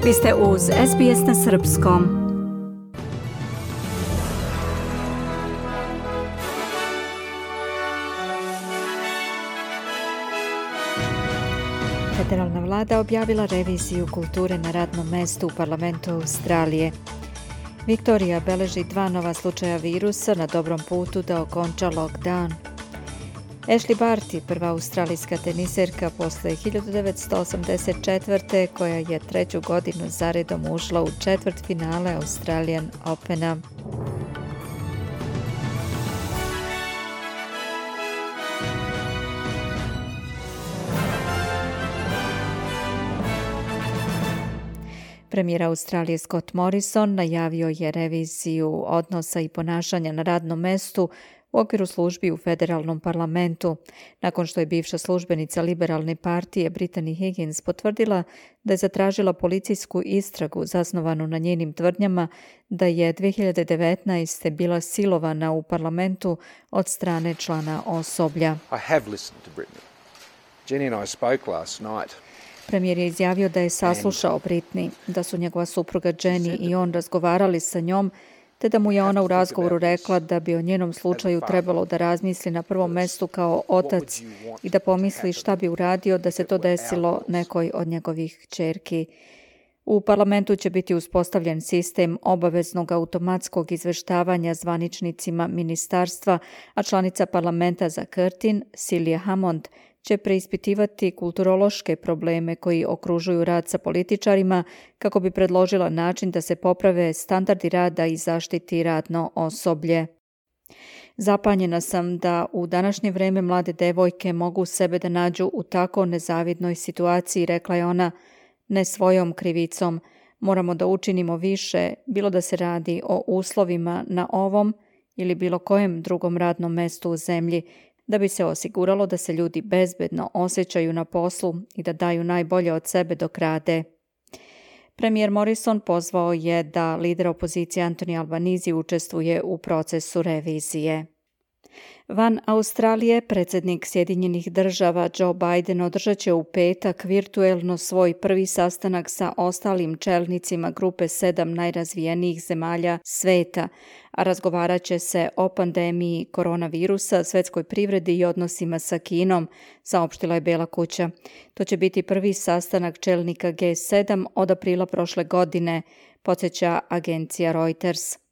Vi ste uz SBS na srpskom. Federalna vlada objavila reviziju kulture na radnom mestu u parlamentu Australije. Viktorija beleži 2 nova slučaja virusa na dobrom putu da okonča lockdown. Ashley Barty, prva australijska teniserka posle 1984. koja je 3. godinu zaredom ušla u četvrtfinale Australian Opena. Premijer Australije Scott Morrison najavio je reviziju odnosa i ponašanja na radnom mestu u okviru službi u federalnom parlamentu, nakon što je bivša službenica liberalne partije Brittany Higgins potvrdila da je zatražila policijsku istragu zasnovanu na njenim tvrdnjama da je 2019. bila silovana u parlamentu od strane člana osoblja. I have listened to Brittany. Jenny and I spoke last night. Premijer je izjavio da je saslušao Britney, da su njegova supruga Jenny i on razgovarali sa njom, te da mu je ona u razgovoru rekla da bi o njenom slučaju trebalo da razmisli na prvom mestu kao otac i da pomisli šta bi uradio da se to desilo nekoj od njegovih kćerki. U parlamentu će biti uspostavljen sistem obaveznog automatskog izveštavanja zvaničnicima ministarstva, a članica parlamenta za Curtin, Celia Hammond, će preispitivati kulturološke probleme koji okružuju rad sa političarima kako bi predložila način da se poprave standardi rada i zaštiti radno osoblje. Zapanjena sam da u današnje vreme mlade devojke mogu sebe da nađu u tako nezavidnoj situaciji, rekla je ona, ne svojom krivicom. Moramo da učinimo više, bilo da se radi o uslovima na ovom ili bilo kojem drugom radnom mestu u zemlji, da bi se osiguralo da se ljudi bezbedno osjećaju na poslu i da daju najbolje od sebe dok rade. Premijer Morrison pozvao je da lider opozicije Anthony Albanese učestvuje u procesu revizije. Van Australije, predsjednik Sjedinjenih država Joe Biden održat će u petak virtuelno svoj prvi sastanak sa ostalim čelnicima grupe 7 najrazvijenijih zemalja sveta, a razgovarat će se o pandemiji koronavirusa, svetskoj privredi i odnosima sa Kinom, saopštila je Bela kuća. To će biti prvi sastanak čelnika G7 od aprila prošle godine, podsjeća agencija Reuters.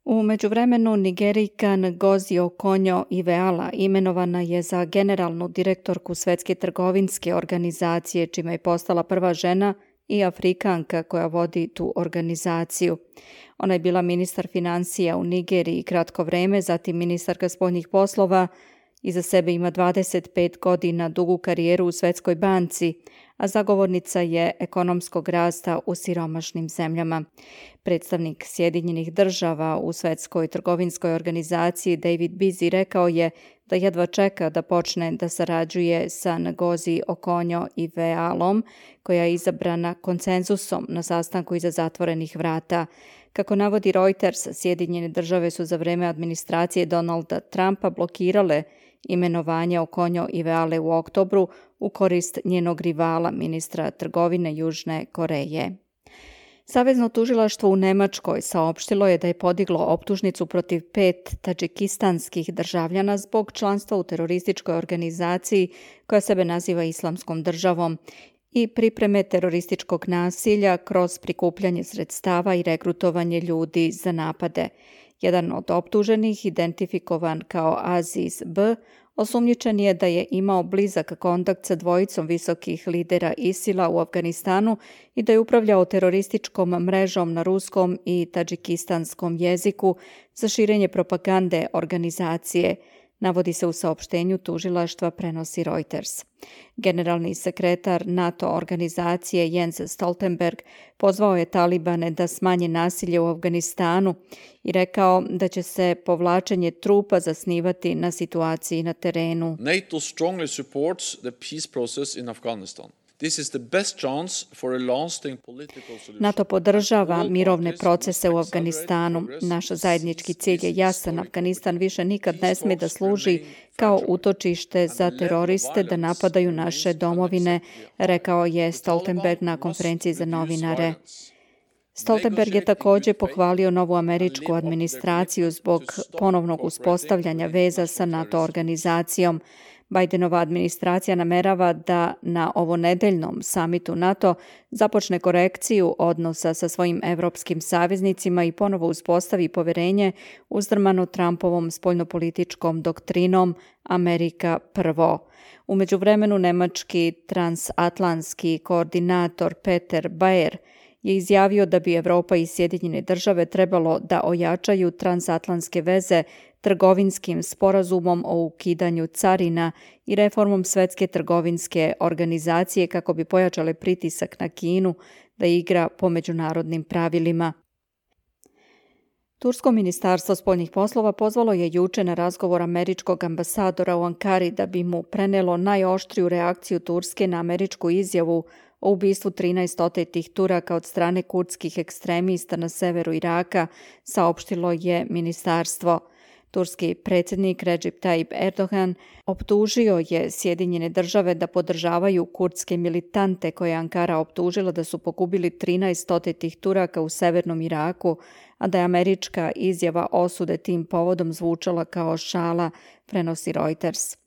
U međuvremenu Nigerijka Ngozi Okonjo-Iweala imenovana je za generalnu direktorku Svetske trgovinske organizacije, čime je postala prva žena i Afrikanka koja vodi tu organizaciju. Ona je bila ministar financija u Nigeriji kratko vreme, zatim ministarka spoljnih poslova, iza sebe ima 25 godina dugu karijeru u Svetskoj banci, a zagovornica je ekonomskog rasta u siromašnim zemljama. Predstavnik Sjedinjenih država u Svetskoj trgovinskoj organizaciji David Beasley rekao je da jedva čeka da počne da sarađuje sa Ngozi Okonjo-Iwealom, koja je izabrana konsenzusom na sastanku iza zatvorenih vrata. Kako navodi Reuters, Sjedinjene države su za vreme administracije Donalda Trumpa blokirale imenovanje Okonjo-Iweale u oktobru u korist njenog rivala, ministra trgovine Južne Koreje. Savezno tužilaštvo u Nemačkoj saopštilo je da je podiglo optužnicu protiv 5 tadžikistanskih državljana zbog članstva u terorističkoj organizaciji koja sebe naziva Islamskom državom i pripreme terorističkog nasilja kroz prikupljanje sredstava i regrutovanje ljudi za napade. Jedan od optuženih, identifikovan kao Aziz B., osumnjičen je da je imao blizak kontakt sa dvojicom visokih lidera ISIL-a u Afganistanu i da je upravljao terorističkom mrežom na ruskom i tadžikistanskom jeziku za širenje propagande organizacije, navodi se u saopštenju tužilaštva, prenosi Reuters. Generalni sekretar NATO organizacije Jens Stoltenberg pozvao je Talibane da smanje nasilje u Afganistanu i rekao da će se povlačenje trupa zasnivati na situaciji na terenu. NATO strongly supports the peace process in Afghanistan. NATO podržava mirovne procese u Afganistanu. Naš zajednički cilj je jasan. Afganistan više nikad ne sme da služi kao utočište za teroriste da napadaju naše domovine, rekao je Stoltenberg na konferenciji za novinare. Stoltenberg je također pohvalio novu američku administraciju zbog ponovnog uspostavljanja veza sa NATO organizacijom. Bidenova administracija namerava da na ovonedeljnom samitu NATO započne korekciju odnosa sa svojim evropskim saveznicima i ponovo uspostavi poverenje uzdrmano Trumpovom spoljnopolitičkom doktrinom Amerika prvo. U međuvremenu nemački transatlantski koordinator Peter Baer je izjavio da bi Evropa i Sjedinjene države trebalo da ojačaju transatlantske veze trgovinskim sporazumom o ukidanju carina i reformom Svetske trgovinske organizacije kako bi pojačale pritisak na Kinu da igra po međunarodnim pravilima. Tursko ministarstvo spoljnih poslova pozvalo je juče na razgovor američkog ambasadora u Ankari da bi mu prenelo najoštriju reakciju Turske na američku izjavu o ubistvu 13 otetih Turaka od strane kurdskih ekstremista na severu Iraka, saopštilo je ministarstvo. Turski predsjednik Recep Tayyip Erdogan optužio je Sjedinjene države da podržavaju kurdske militante koje je Ankara optužila da su pogubili 13 otetih Turaka u severnom Iraku, a da je američka izjava osude tim povodom zvučala kao šala, prenosi Reuters.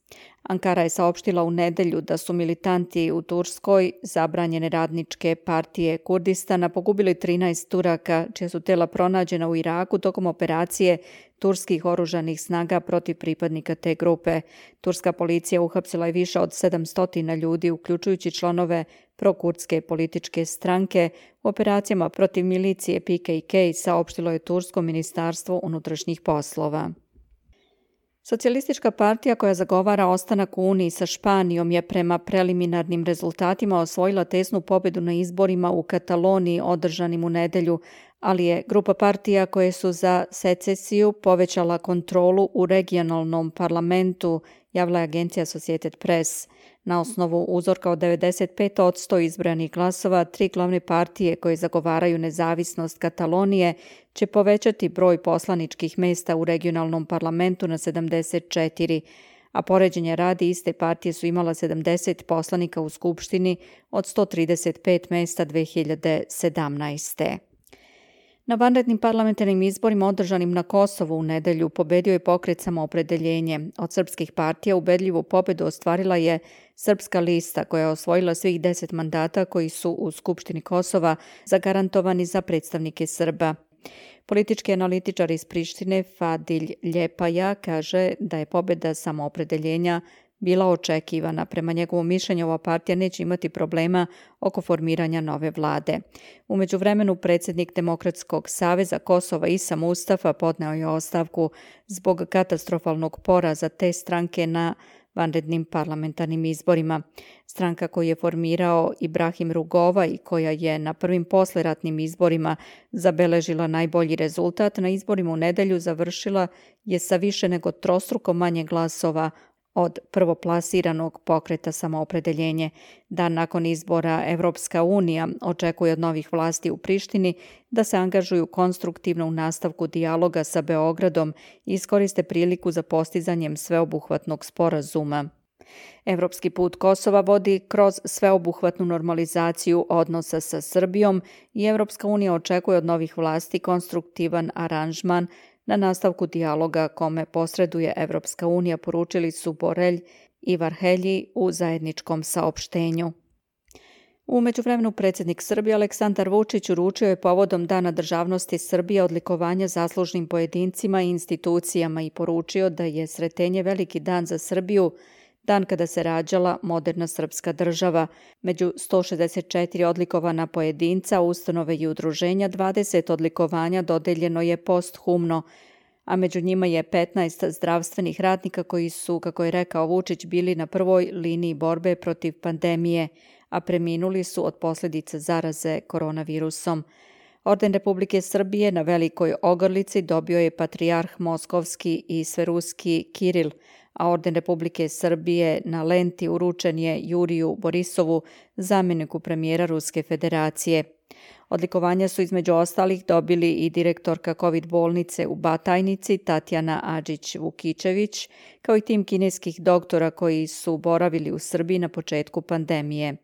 Ankara je saopštila u nedelju da su militanti u Turskoj zabranjene radničke partije Kurdistana pogubili 13 Turaka, čija su tela pronađena u Iraku tokom operacije turskih oružanih snaga protiv pripadnika te grupe. Turska policija uhapsila je više od 700 ljudi, uključujući članove prokurdske političke stranke, u operacijama protiv milicije PKK, saopštilo je Tursko ministarstvo unutrašnjih poslova. Socijalistička partija koja zagovara ostanak u Uniji sa Španijom je prema preliminarnim rezultatima osvojila tesnu pobjedu na izborima u Kataloniji održanim u nedelju, ali je grupa partija koje su za secesiju povećala kontrolu u regionalnom parlamentu, javila je agencija Associated Press. Na osnovu uzorka od 95% izbranih glasova, 3 glavne partije koje zagovaraju nezavisnost Katalonije će povećati broj poslaničkih mesta u regionalnom parlamentu na 74, a poređenja radi iste partije su imala 70 poslanika u Skupštini od 135 mesta 2017. Na vanrednim parlamentarnim izborima održanim na Kosovu u nedelju pobedio je pokret Samoopredeljenje. Od srpskih partija ubedljivu pobedu ostvarila je Srpska lista koja je osvojila svih 10 mandata koji su u Skupštini Kosova zagarantovani za predstavnike Srba. Politički analitičar iz Prištine Fadilj Ljepaja kaže da je pobjeda Samoopredeljenja bila očekivana. Prema njegovom mišljenju, ova partija neće imati problema oko formiranja nove vlade. U međuvremenu, predsjednik Demokratskog saveza Kosova Isa Mustafa podneo je ostavku zbog katastrofalnog poraza te stranke na vanrednim parlamentarnim izborima. Stranka koju je formirao Ibrahim Rugova i koja je na prvim posleratnim izborima zabeležila najbolji rezultat, na izborima u nedelju završila je sa više nego trostruko manje glasova od prvoplasiranog pokreta Samoopredeljenje. Dan nakon izbora Evropska unija očekuje od novih vlasti u Prištini da se angažuju konstruktivno u nastavku dijaloga sa Beogradom i iskoriste priliku za postizanjem sveobuhvatnog sporazuma. Evropski put Kosova vodi kroz sveobuhvatnu normalizaciju odnosa sa Srbijom i Evropska unija očekuje od novih vlasti konstruktivan aranžman na nastavku dijaloga kome posreduje Evropska unija, poručili su Borelj i Varhelji u zajedničkom saopštenju. U međuvremenu predsjednik Srbije Aleksandar Vučić uručio je povodom Dana državnosti Srbije odlikovanja zaslužnim pojedincima i institucijama i poručio da je Sretenje veliki dan za Srbiju, dan kada se rađala moderna srpska država. Među 164 odlikovana pojedinca, ustanove i udruženja, 20 odlikovanja dodeljeno je posthumno, a među njima je 15 zdravstvenih radnika koji su, kako je rekao Vučić, bili na prvoj liniji borbe protiv pandemije, a preminuli su od posljedica zaraze koronavirusom. Orden Republike Srbije na Velikoj ogrlici dobio je patrijarh Moskovski i Sveruski Kiril, a orden Republike Srbije na lenti uručen je Juriju Borisovu, zamjeniku premijera Ruske federacije. Odlikovanja su između ostalih dobili i direktorka COVID bolnice u Batajnici Tatjana Adžić-Vukičević, kao i tim kineskih doktora koji su boravili u Srbiji na početku pandemije.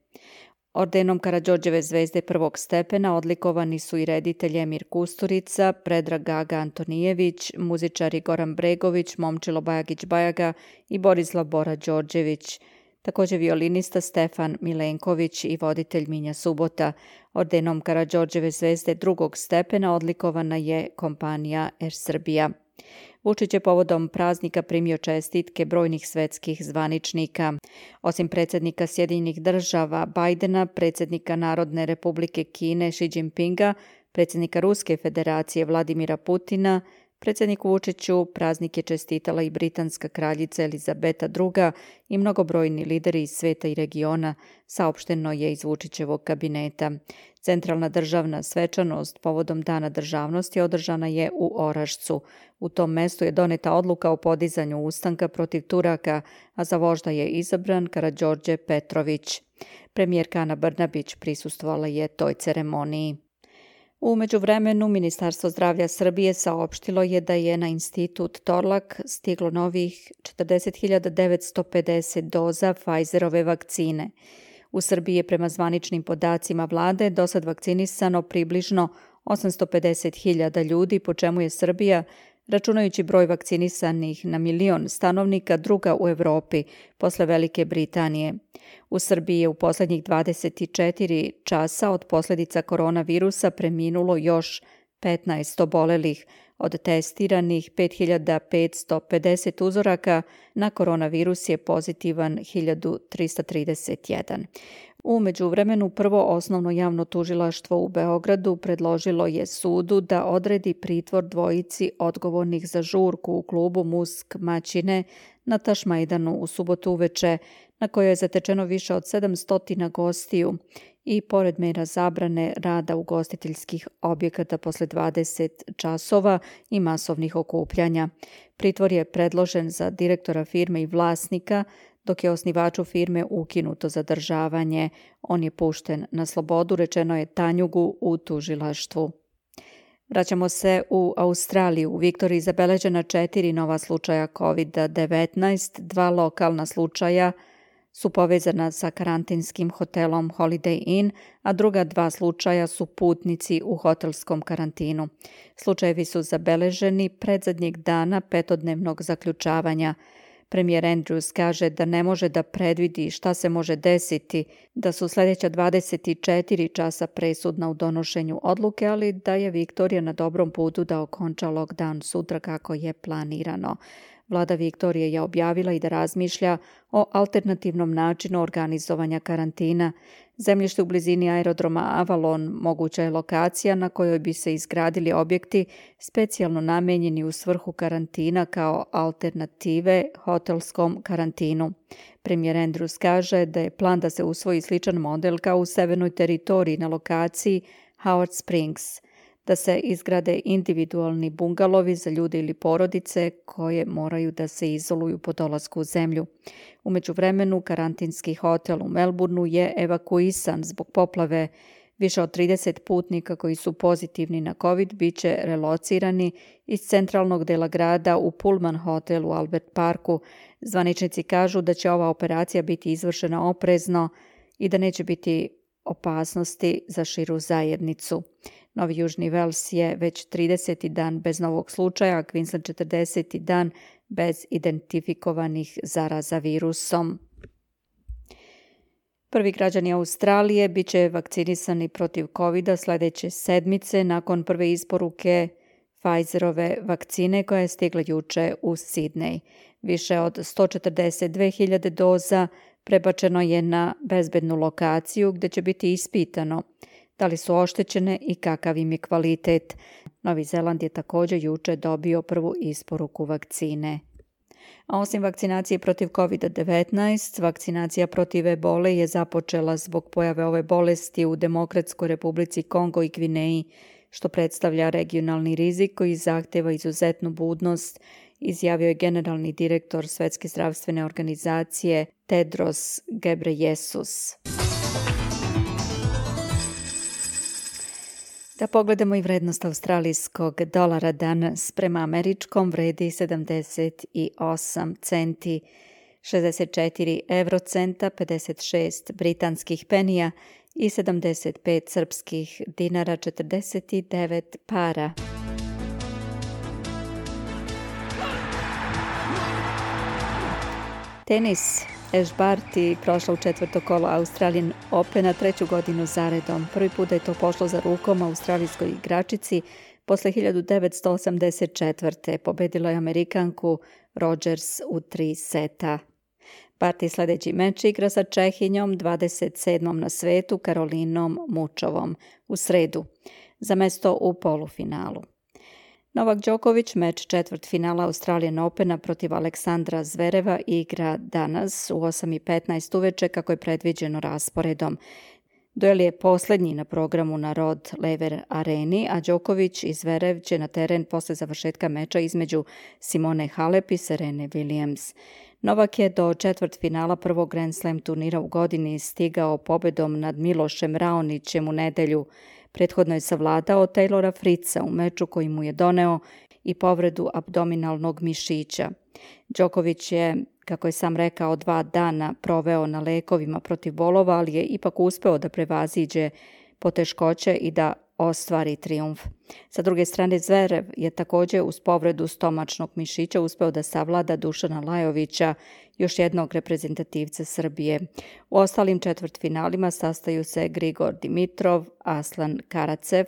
Ordenom Karađorđeve zvezde prvog stepena odlikovani su i reditelj Emir Kusturica, Predrag Gaga Antonijević, muzičari Goran Bregović, Momčilo Bajagić-Bajaga i Borislav Bora Đorđević, također violinista Stefan Milenković i voditelj Minja Subota. Ordenom Karađorđeve zvezde drugog stepena odlikovana je kompanija Air Srbija. Vučić je povodom praznika primio čestitke brojnih svetskih zvaničnika. Osim predsjednika Sjedinjenih država Bajdena, predsjednika Narodne republike Kine Xi Jinpinga, predsjednika Ruske federacije Vladimira Putina, predsjedniku Vučiću praznik je čestitala i britanska kraljica Elizabeta II i mnogobrojni lideri iz sveta i regiona, saopšteno je iz Vučićevog kabineta. Centralna državna svečanost povodom Dana državnosti održana je u Orašcu. U tom mestu je doneta odluka o podizanju ustanka protiv Turaka, a za vožda je izabran Karađorđe Petrović. Premijerka Ana Brnabić prisustvovala je toj ceremoniji. U međuvremenu, Ministarstvo zdravlja Srbije saopštilo je da je na institut Torlak stiglo novih 40.950 doza Pfizerove vakcine. U Srbiji je prema zvaničnim podacima vlade dosad vakcinisano približno 850.000 ljudi, po čemu je Srbija, računajući broj vakcinisanih na 1.000.000 stanovnika, druga u Evropi, posle Velike Britanije. U Srbiji je u posljednjih 24 časa od posljedica koronavirusa preminulo još 15 obolelih. Od testiranih 5.550 uzoraka na koronavirus je pozitivan 1.331. U međuvremenu prvo osnovno javno tužilaštvo u Beogradu predložilo je sudu da odredi pritvor dvojici odgovornih za žurku u klubu Musk Maćine na Tašmajdanu u subotu uveče, na kojoj je zatečeno više od 700 gostiju i pored mera zabrane rada ugostiteljskih objekata posle 20 časova i masovnih okupljanja. Pritvor je predložen za direktora firme i vlasnika, dok je osnivaču firme ukinuto zadržavanje. On je pušten na slobodu, rečeno je Tanjugu u tužilaštvu. Vraćamo se u Australiju. U Viktoriji zabeležena 4 nova slučaja COVID-19, 2 lokalna slučaja su povezana sa karantinskim hotelom Holiday Inn, a druga 2 slučaja su putnici u hotelskom karantinu. Slučajevi su zabeleženi predzadnjeg dana 5-dnevnog zaključavanja. Premijer Andrews kaže da ne može da predvidi šta se može desiti, da su sljedeća 24 časa presudna u donošenju odluke, ali da je Viktorija na dobrom putu da okonča lockdown sutra kako je planirano. Vlada Viktorije je objavila i da razmišlja o alternativnom načinu organizovanja karantina. Zemljište u blizini aerodroma Avalon moguća je lokacija na kojoj bi se izgradili objekti specijalno namenjeni u svrhu karantina kao alternative hotelskom karantinu. Premijer Andrews kaže da je plan da se usvoji sličan model kao u severnoj teritoriji na lokaciji Howard Springs, da se izgrade individualni bungalovi za ljude ili porodice koje moraju da se izoluju po dolasku u zemlju. U međuvremenu, karantinski hotel u Melbourneu je evakuisan zbog poplave. Više od 30 putnika koji su pozitivni na COVID biće relocirani iz centralnog dela grada u Pullman hotel u Albert Parku. Zvaničnici kažu da će ova operacija biti izvršena oprezno i da neće biti opasnosti za širu zajednicu. Novi Južni Vels je već 30. dan bez novog slučaja, a Queensland 40. dan bez identifikovanih zaraza virusom. Prvi građani Australije bit će vakcinisani protiv COVID-a sljedeće sedmice nakon prve isporuke Pfizerove vakcine koja je stigla juče u Sidney. Više od 142.000 doza prebačeno je na bezbednu lokaciju gdje će biti ispitano da li su oštećene i kakav im je kvalitet. Novi Zeland je također juče dobio prvu isporuku vakcine. A osim vakcinacije protiv COVID-19, vakcinacija protiv ebole je započela zbog pojave ove bolesti u Demokratskoj Republici Kongo i Gvineji, što predstavlja regionalni rizik koji zahtjeva izuzetnu budnost izjavio je generalni direktor Svetske zdravstvene organizacije Tedros Ghebreyesus. Da pogledamo i vrednost australijskog dolara danas prema američkom vredi 78 centi, 64 eurocenta, 56 britanskih penija i 75 srpskih dinara 49 para. Tenis. Ash Barty prošla u četvrto kolo Australian Opena 3. godinu zaredom. Prvi put da je to pošlo za rukom australijskoj igračici posle 1984. Pobedila je Amerikanku Rogers u 3 seta. Barty sljedeći meč igra sa Čehinjom 27. na svetu Karolinom Mučovom u sredu za mesto u polufinalu. Novak Đoković meč četvrtfinala Australian Opena protiv Aleksandra Zvereva igra danas u 8:15 uveče kako je predviđeno rasporedom. Duel je posljednji na programu na Rod Laver Areni, a Đoković i Zverev će na teren posle završetka meča između Simone Halep i Serene Williams. Novak je do četvrtfinala prvog Grand Slam turnira u godini stigao pobedom nad Milošem Raonićem u nedelju. Prethodno je savladao Taylora Fritza u meču koji mu je doneo i povredu abdominalnog mišića. Đoković je, kako je sam rekao, 2 dana proveo na lekovima protiv bolova, ali je ipak uspeo da prevaziđe poteškoće i da ostvari trijumf. Sa druge strane, Zverev je također uz povredu stomačnog mišića uspeo da savlada Dušana Lajovića, još jednog reprezentativca Srbije. U ostalim četvrtfinalima sastaju se Grigor Dimitrov, Aslan Karacev,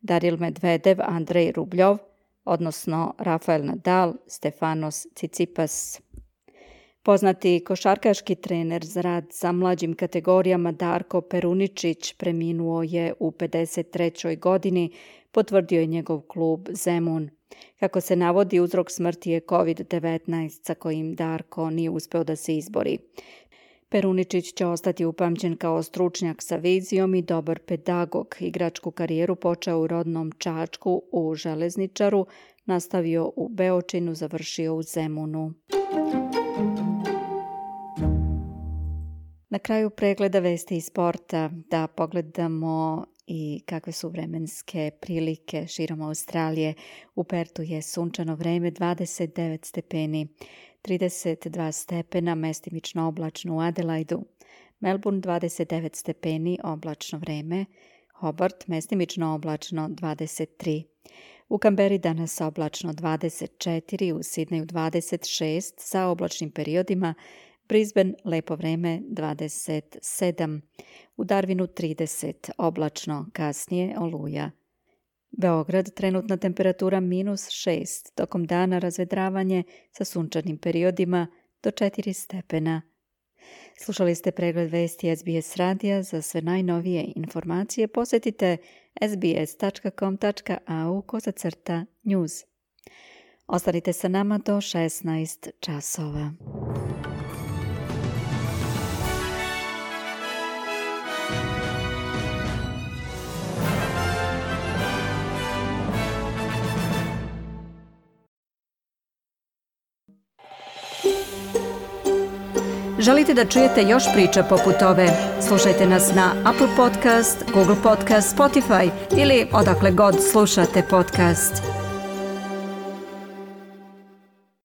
Daril Medvedev, Andrej Rubljov, odnosno Rafael Nadal, Stefanos Tsitsipas. Poznati košarkaški trener za rad sa mlađim kategorijama Darko Peruničić preminuo je u 53. godini, potvrdio je njegov klub Zemun. Kako se navodi, uzrok smrti je COVID-19 sa kojim Darko nije uspeo da se izbori. Peruničić će ostati upamćen kao stručnjak sa vizijom i dobar pedagog. Igračku karijeru počeo u rodnom Čačku u Železničaru, nastavio u Beočinu, završio u Zemunu. Na kraju pregleda vesti iz sporta da pogledamo i kakve su vremenske prilike širom Australije. U Pertu je sunčano vreme 29 stepeni, 32 stepena, mestimično oblačno u Adelaidu. Melbourne 29 stepeni, oblačno vreme. Hobart mestimično oblačno 23. U Kamberi danas oblačno 24, u Sidneju 26 sa oblačnim periodima, Brisbane lepo vreme 27, u Darwinu 30, oblačno, kasnije oluja. Beograd trenutna temperatura -6, tokom dana razvedravanje sa sunčanim periodima do 4 stepena. Slušali ste pregled vesti SBS radija. Za sve najnovije informacije posjetite sbs.com.au/news. Ostanite sa nama do 16 časova. Želite da čujete još priča poput ove? Slušajte nas na Apple Podcast, Google Podcast, Spotify ili odakle god slušate podcast.